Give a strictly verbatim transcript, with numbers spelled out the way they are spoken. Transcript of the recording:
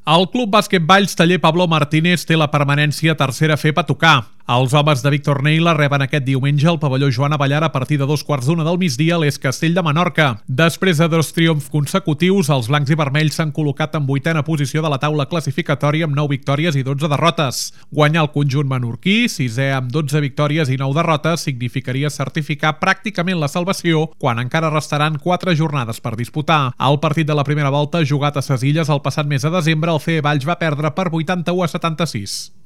El Club Bàsquet Valls Taller Pablo Martínez té la permanència a tercera F E P a tocar. Els homes de Víctor Neila reben aquest diumenge al pavelló Joan Abellar a partir de dos quarts d'una del migdia a l'Es Castell de Menorca. Després de dos triomfs consecutius, els blancs i vermells s'han col·locat en vuitena posició de la taula classificatòria amb nou victòries i dotze derrotes. Guanyar el conjunt menorquí, sisè amb dotze victòries i nou derrotes, significaria certificar pràcticament la salvació quan encara restaran quatre jornades per disputar. El partit de la primera volta, jugat a ses Illes el passat mes de desembre, el C E Valls va perdre per vuitanta-u a setanta-sis.